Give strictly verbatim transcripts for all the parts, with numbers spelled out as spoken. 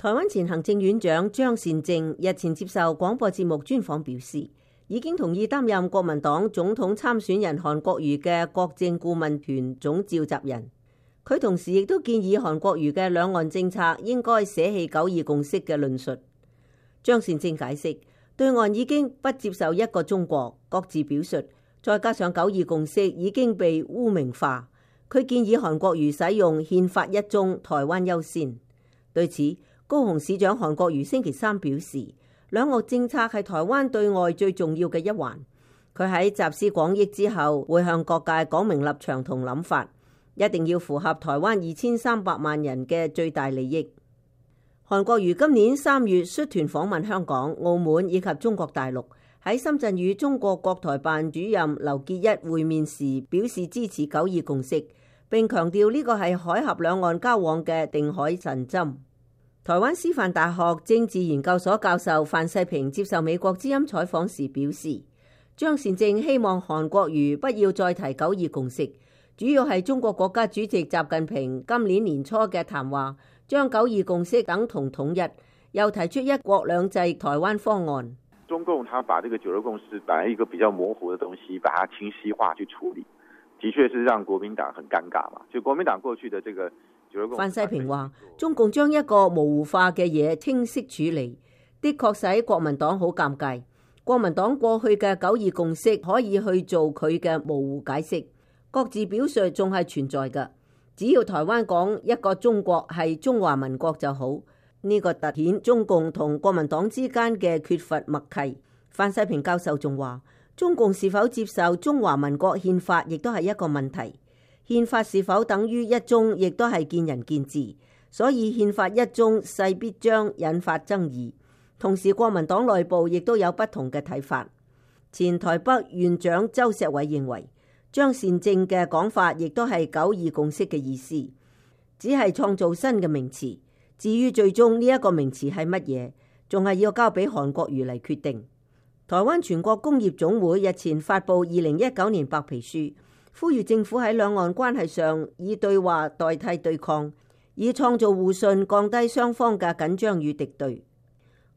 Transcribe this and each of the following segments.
台灣前行政院長張善政日前接受廣播節目專訪表示，已經同意擔任國民黨總統參選人韓國瑜嘅國政顧問團總召集人。佢同時亦都建議韓國瑜嘅兩岸政策應該捨棄九二共識嘅論述。張善政解釋，對岸已經不接受一個中國，各自表述，再加上九二共識已經被污名化。佢建議韓國瑜使用憲法一中，台灣優先。對此，高雄市長韓國瑜星期三表示，兩岸政策係台灣對外最重要嘅一環。佢喺集思廣益之後，會向各界講明立場同諗法，一定要符合台灣二千三百萬人嘅最大利益。韓國瑜今年三月率團訪問香港、澳門以及中國大陸，喺深圳與中國國台辦主任劉結一會面時，表示支持九二共識，並強調呢個係海峽兩岸交往嘅定海神針。台灣師範大學政治研究所教授范世平接受美國之音採訪時表示，張善政希望韓國瑜不要再提九二共識，主要係中國國家主席習近平今年年初嘅談話，將九二共識等同統一，又提出一國兩制台灣方案。中共他把這個九二共識本來一個比較模糊的東西，把它清晰化去處理，的確是讓國民黨很尷尬嘛。就國民黨過去的這個。范世平話：中共將一個模糊化嘅嘢清晰處理，的確使國民黨好尷尬。國民黨過去嘅九二共識可以去做佢嘅模糊解釋，各自表述仲係存在㗎。只要台灣講一個中國係中華民國就好，呢、這個凸顯中共同國民黨之間嘅缺乏默契。范世平教授仲話：中共是否接受中華民國憲法，亦都係一個問題。憲法是否等於一中，亦都係見仁見智，所以憲法一中勢必將引發爭議。同時，國民黨內部亦都有不同嘅睇法。前台北縣長周錫瑋認為，張善政嘅講法亦都係九二共識嘅意思，只係創造新嘅名詞。至於最終呢一個名詞係乜嘢，仲係要交俾韓國瑜嚟決定。台灣全國工業總會日前發布二零一九年白皮書，呼籲政府喺兩岸關係上以對話代替對抗，以創造互信，降低雙方嘅緊張與敵對。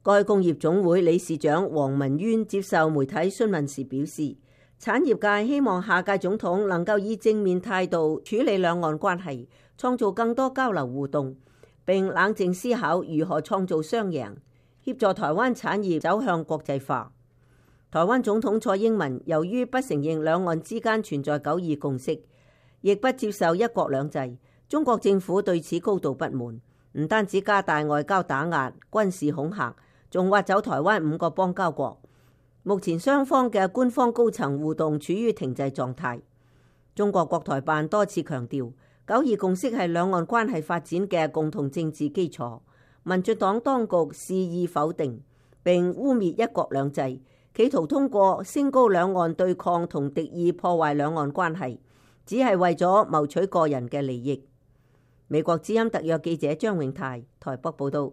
該工業總會理事長黃文淵接受媒體詢問時表示，產業界希望下屆總統能夠以正面態度處理兩岸關係，創造更多交流互動，並冷靜思考如何創造雙贏，協助台灣產業走向國際化。台灣總統蔡英文由於不承認兩岸之間存在九二共識，亦不接受一國兩制，中國政府對此高度不滿，唔單止加大外交打壓、軍事恐嚇，仲挖走台灣五個邦交國。目前雙方嘅官方高層互動處於停滯狀態。中國國台辦多次強調，九二共識係兩岸關係發展嘅共同政治基礎。民進黨當局肆意否定並污蔑一國兩制，企圖通過升高兩岸對抗同敵意破壞兩岸關係，只係為咗謀取個人嘅利益。美國之音特約記者張永泰台北報道。